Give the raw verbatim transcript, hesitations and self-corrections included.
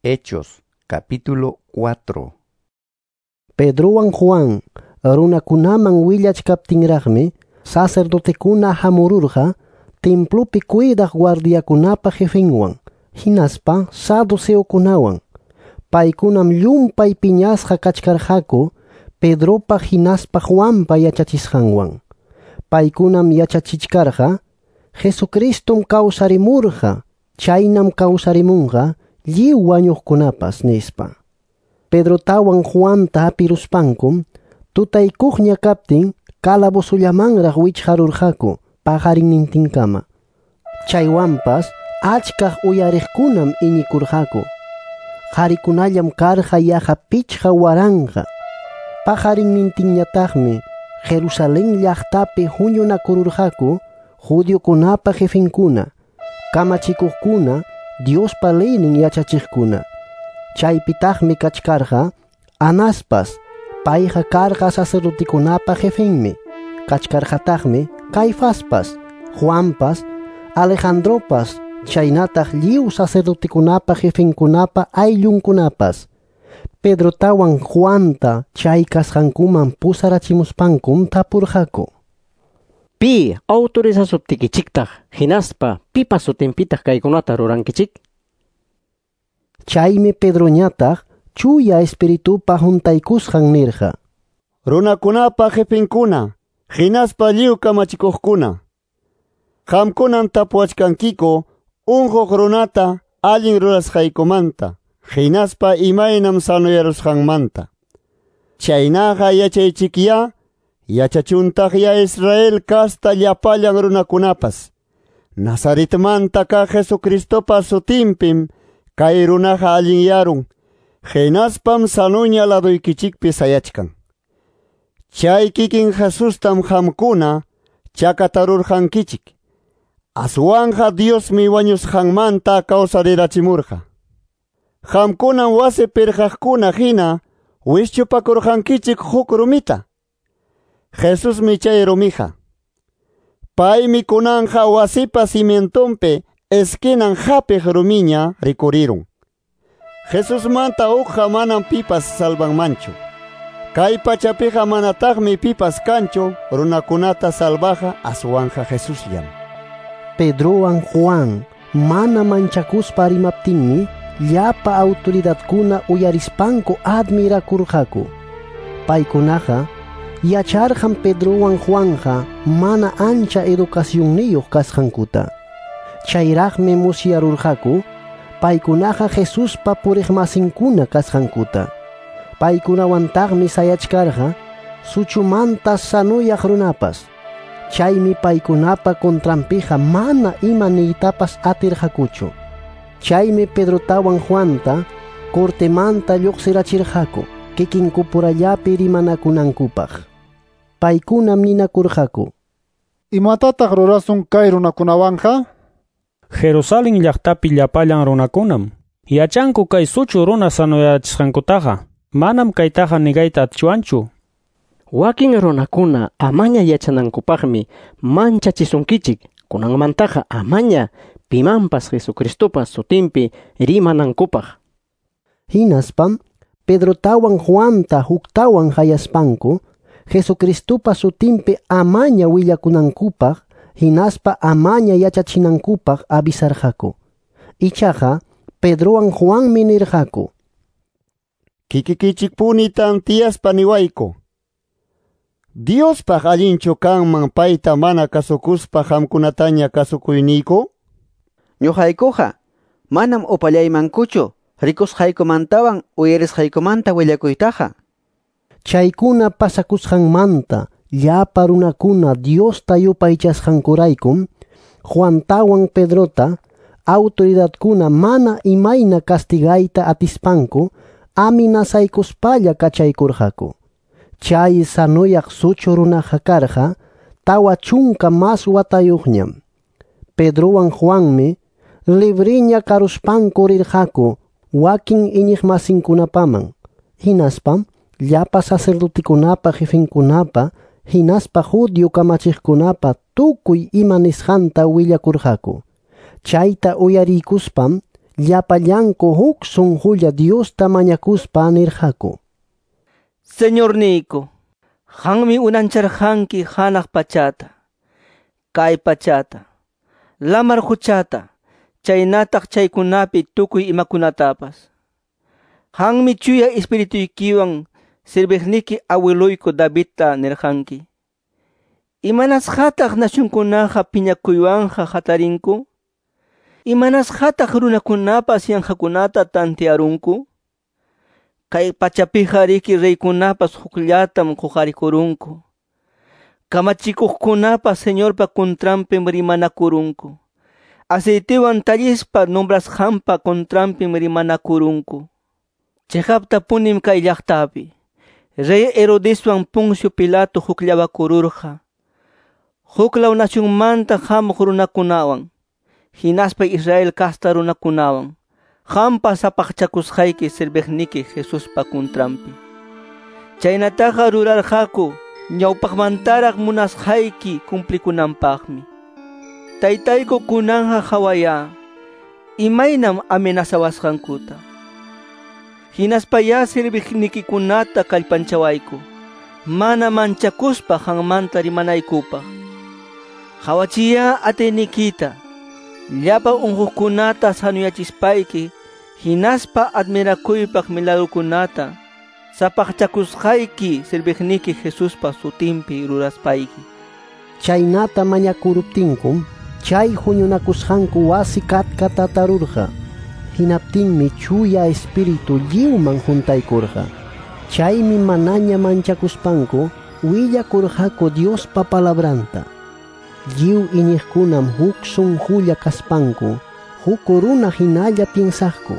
Hechos capítulo cuatro. Pedrowan Juan runakunaman willachkaptinraqmi sacerdotekuna hamururqa templopi cuidaq guardiakunapa jefenwan hinaspa saduceokunawan. Paykunam llumpay piñasqa kachkarqaku Pedropa hinaspa Juanpa yachachisqanwan. Paykunam yachachichkarqa Jesucristum kawsarimurqa, chaynam kawsarimunqa lliw wañuqkunapas nispa. Pedrotawan Juanta hapiruspankum tutaykuqña kaptin calabozollamanraq wichqarurqaku paqarinnintinkama. Chaywanpas achkaq uyariqkunam iñikurqaku. Qharikunallam karqa yaqa pichqa waranqa. Paqarinnintinñataqmi Jerusalén llaqtapi huñunakururqaku judiokunapa jefenkuna, kamachikuqkuna, Diospa leynin yachachiqkuna. Chaypitaqmi kachkarqa Anaspas, payqa karqa sacerdotekunapa jefenmi. Kachkarqataqmi Caifaspas, Juanpas, Alejandropas, chaynataq lliw sacerdotekunapa jefenkunapa ayllunkunapas. Pedrotawan Juanta chay kasqankuman pusarachimuspankum tapurqaku: Pi autorizasuptikichiktaq hinaspa pipa sutinpitaq kaykunata rurankichik? Chaymi Pedroñataq chuya espiritupa huntaykusqan nirqa: Runakunapa jefenkuna, hinaspa lliw kamachikuqkuna, qamkunan tapuwachkankiku unquq runata allin rurasqaykumanta, hinaspa imaynam sanoyarusqanmanta. Chaynaqa yachaychikyá, yachachuntaqya Israel kasta llapallan runakunapas. Nazaretmanta kaq Jesucristopa sutinpim kay runaqa allinyarun, hinaspam sanuña laduykichikpi sayachkan. Chay kikin Jesustam qamkuna chakatarurqankichik. Aswanja Diosmi wañusqanmanta kawsarirachimurqa. Qamkunam wasi pirqaqkuna hina wischupakurqankichik huk rumita. Jesusmi chay rumija. Paymi kunanja wasipa cimientonpi esquinan hapiq rumiña rikurirun. Jesusmanta uqqa manam pipas salvanmanchu. Kay pachapiqa manataqmi pipas kanchu runakunata salvaja aswanja Jesusllam. Pedrowan Juan mana manchakuspa rimaptinmi llapa autoridadkuna uyarispanku admirakurqaku. Paykunaqa yacharqan Pedrowan Juanja mana ancha educacionniyuq kasqankuta. Chayraqmi musyarurqaku paykunaqa Jesuspa puriqmasinkuna kasqankuta. Paykunawantaqmi sayachkarqa suchumanta sanuyaq runapas. Chaymi paykunapa contranpiqa mana ima niytapas atirqakuchu. Chaymi Pedrotawan Juanta cortemanta lluqsirachirqaku kikinkupurallapi rimanakunankupaq. Paykunam ninakurqaku: Imatataq rurasun kay runakunawanja? Jerusalén llaqtapi llapallan runakunam yachanku kay suchu runa sanoyachisqankutaqa. Manam kaytaqa nigayta atichwanchu. Wakin runakuna amaña yachanankupaqmi manchachisunkichik. Kunanmantaqa amaña pimanpas Jesucristopa sutinpi rimanankupaq. Hinaspam Pedrotawan Juanta huktawan hayaspanku Jesucristopa sutinpi amaña willakunankupaq hinaspa amaña yachachinankupaq avisarqaku. Ichaqa Pedrowan Juanmi nirqaku: Kikikichikpuni tantiyaspa niwayku. Diospaq allinchu kanman payta mana kasukuspa qamkunataña kasukuyniyku? Ñuqaykuqa manam upallaymankuchu rikusqaykumantawan uyarisqaykumanta willakuytaqa. Chaykuna pasakusqanmanta llapa runakuna Diosta yupaychasqankuraykum Juantawan Pedrota autoridadkuna mana imayna castigayta atispanku amenazaykuspalla kachaykurqaku. Chay sanuyaq suchu runaqa karqa tawa chunka mas watayuqñam. Pedrowan Juanmi libriña karuspanku rirqaku wakin iñiqmasinkunapaman. Hinaspam llapa sacerdotekunapa jefenkunapa hinaspa judío kamachiqkunapa tukuy ima nisqanta willakurqaku. Chayta uyariykuspam llapallanku huk sunqulla Diosta mañakuspa nirqaku: Señorniyku, qanmi unancharqanki hanaq pachata, kay pachata, lamar quchata, chaynataq chaykunapi tukuy imakunatapas. Qanmi chuya espirituykiwan sirviqniki awiluyku Davidta nirqanki: Imanasqataq nacionkunaqa piñakuywanqa hatarinku? Imanasqataq runakunapas yanqakunata tantearunku? Kay pachapiqa riki reykunapas hukllatam quqarikurunku. Kamachikuqkunapas Señorpa contranpim rimanakurunku. Aceitewan tallispa nombrasqanpa contranpim rimanakurunku. Chiqaptapunim kay llaqtapi Rey Herodeswan Poncio Pilato hukllawakururqa. Huklaw nacionmanta hamuq runakunawan, hinaspa Israel casta runakunawan, qampa sapaqchakusqayki serviqniki Jesuspa contranpi. Chaynataqa rurarqaku ñawpaqmantaraq munasqayki cumplikunanpaqmi. Taytayku kunanqa qhawaya imaynam amenazawasqankuta. Hinaspayá serviqnikikunata kallpanchawayku, mana manchakuspa qanmanta rimanaykupaq. Qhawachiya atiyniykita, llapa unquqkunata sanuyachispayki, hinaspa admirakuypaq milagrukunata sapaqchakusqayki serviqniki Jesuspa sutinpi ruraspayki. Chaynata mañakuruptinkum chay huñunakusqanku wasi katkatatarurqa. Hinaptinmi chuya espíritu lliwman huntaykurqa. Chaymi manaña manchakuspanku willakurqaku Diospa palabranta. Lliw iñiqkunam huk sunqulla kaspanku huk runa hinalla piensaqku.